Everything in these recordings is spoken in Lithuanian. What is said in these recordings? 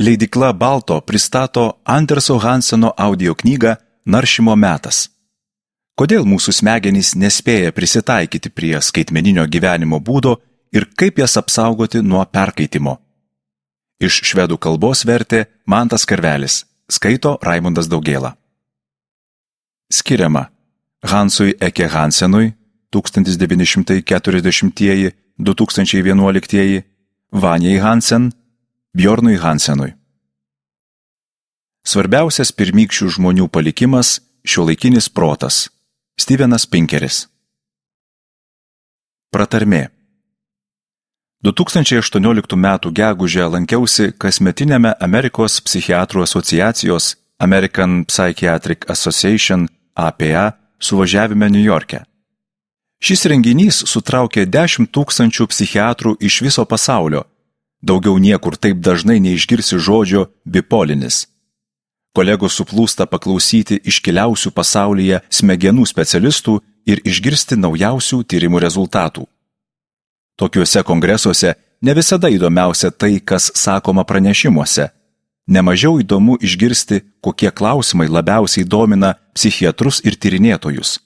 Leidykla Balto pristato Anderso Hanseno audio knygą Naršymo metas. Kodėl mūsų smegenys nespėja prisitaikyti prie skaitmeninio gyvenimo būdo ir kaip jas apsaugoti nuo perkaitimo? Iš švedų kalbos vertė Mantas Karvelis, skaito Raimundas Daugėla. Skiriama Hansui Eke Hansenui 1940–2011, Vanjai Hansen, Bjornui Hansenui. Svarbiausias pirmykščių žmonių palikimas – šiuolaikinis protas. Stevenas Pinkeris. Pratarmė. 2018 m. gegužę lankiausi kasmetiniame Amerikos psichiatrų asociacijos American Psychiatric Association APA suvažiavime Niujorke. Šis renginys sutraukė 10 000 psichiatrų iš viso pasaulio. Daugiau niekur taip dažnai neišgirsi žodžio bipolinis. Kolegos suplūsta paklausyti iškiliausių pasaulyje smegenų specialistų ir išgirsti naujausių tyrimų rezultatų. Tokiuose kongresuose ne visada įdomiausia tai, kas sakoma pranešimuose. Nemažiau įdomu išgirsti, kokie klausimai labiausiai domina psichiatrus ir tyrinėtojus.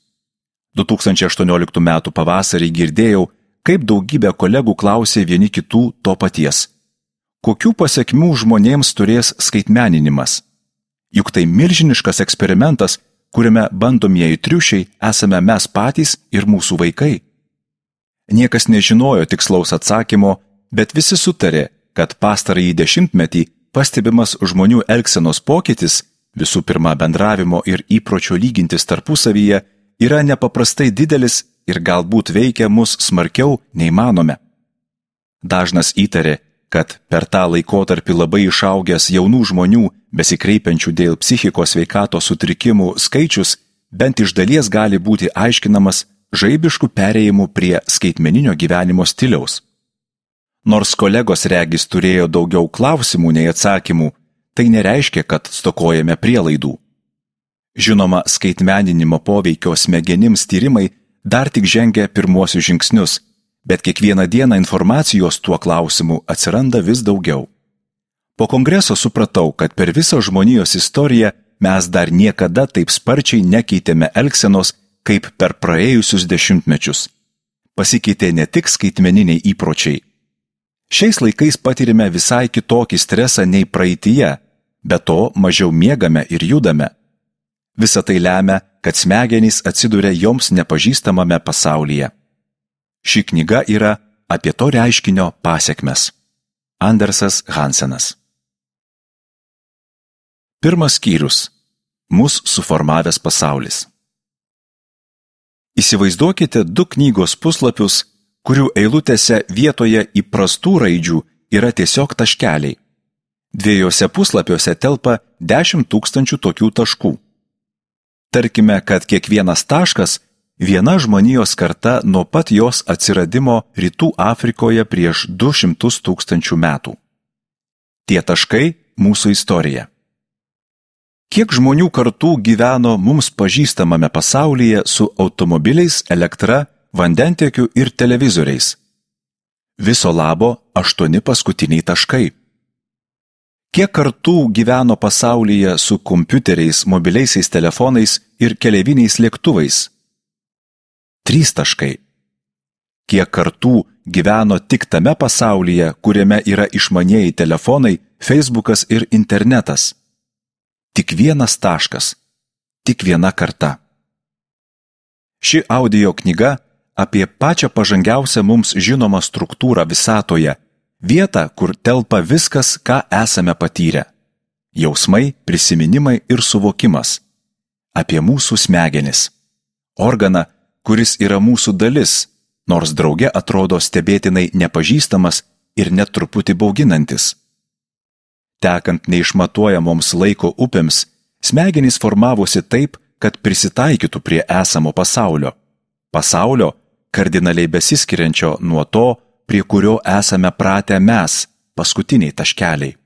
2018 m. pavasarį girdėjau, kaip daugybė kolegų klausė vieni kitų to paties. Kokių pasekmių žmonėms turės skaitmeninimas? Juk tai milžiniškas eksperimentas, kuriame bandomieji triušiai esame mes patys ir mūsų vaikai. Niekas nežinojo tikslaus atsakymo, bet visi sutarė, kad pastarąjį dešimtmetį pastebimas žmonių elgsenos pokytis, visų pirma bendravimo ir įpročio lygintis tarpusavyje, yra nepaprastai didelis ir galbūt veikia mus smarkiau nei manome. Dažnas įtarė, kad per tą laikotarpį labai išaugęs jaunų žmonių besikreipiančių dėl psichikos sveikatos sutrikimų skaičius bent iš dalies gali būti aiškinamas žaibiškų perėjimų prie skaitmeninio gyvenimo stiliaus. Nors kolegos regis turėjo daugiau klausimų nei atsakymų, tai nereiškia, kad stokojame prielaidų. Žinoma, skaitmeninimo poveikio smegenims tyrimai dar tik žengia pirmuosius žingsnius, bet kiekvieną dieną informacijos tuo klausimu atsiranda vis daugiau. Po kongreso supratau, kad per visą žmonijos istoriją mes dar niekada taip sparčiai nekeitėme elgsenos, kaip per praėjusius dešimtmečius. Pasikeitė ne tik skaitmeniniai įpročiai. Šiais laikais patirime visai kitokį stresą nei praeityje, be to mažiau miegame ir judame. Visa tai lemia, kad smegenys atsiduria joms nepažįstamame pasaulyje. Ši knyga yra apie to reiškinio pasekmes. Andersas Hansenas. Pirmas skyrius. Mus suformavęs pasaulis. Įsivaizduokite 2 knygos puslapius, kurių eilutėse vietoje įprastų raidžių yra tiesiog taškeliai. 2 puslapiuose telpa 10 000 tokių taškų. Tarkime, kad kiekvienas taškas viena žmonijos karta nuo pat jos atsiradimo Rytų Afrikoje prieš 200 000 metų. Tie taškai – mūsų istorija. Kiek žmonių kartų gyveno mums pažįstamame pasaulyje su automobiliais, elektra, vandentiekiu ir televizoriais? Viso labo 8 paskutiniai taškai. Kiek kartų gyveno pasaulyje su kompiuteriais, mobiliaisiais telefonais ir keleiviniais lėktuvais? 3 taškai. Kiek kartų gyveno tik tame pasaulyje, kuriame yra išmanieji telefonai, Facebookas ir internetas? Tik 1 taškas. Tik 1 karta. Ši audio knyga apie pačią pažangiausią mums žinomą struktūrą visatoje, vietą, kur telpa viskas, ką esame patyrę. Jausmai, prisiminimai ir suvokimas. Apie mūsų smegenis. Organą, kuris yra mūsų dalis, nors drauge atrodo stebėtinai nepažįstamas ir net truputį bauginantis. Tekant neišmatuojamoms laiko upėms, smegenys formavosi taip, kad prisitaikytų prie esamo pasaulio. Pasaulio, kardinaliai besiskiriančio nuo to, prie kurio esame pratę mes, paskutiniai taškeliai.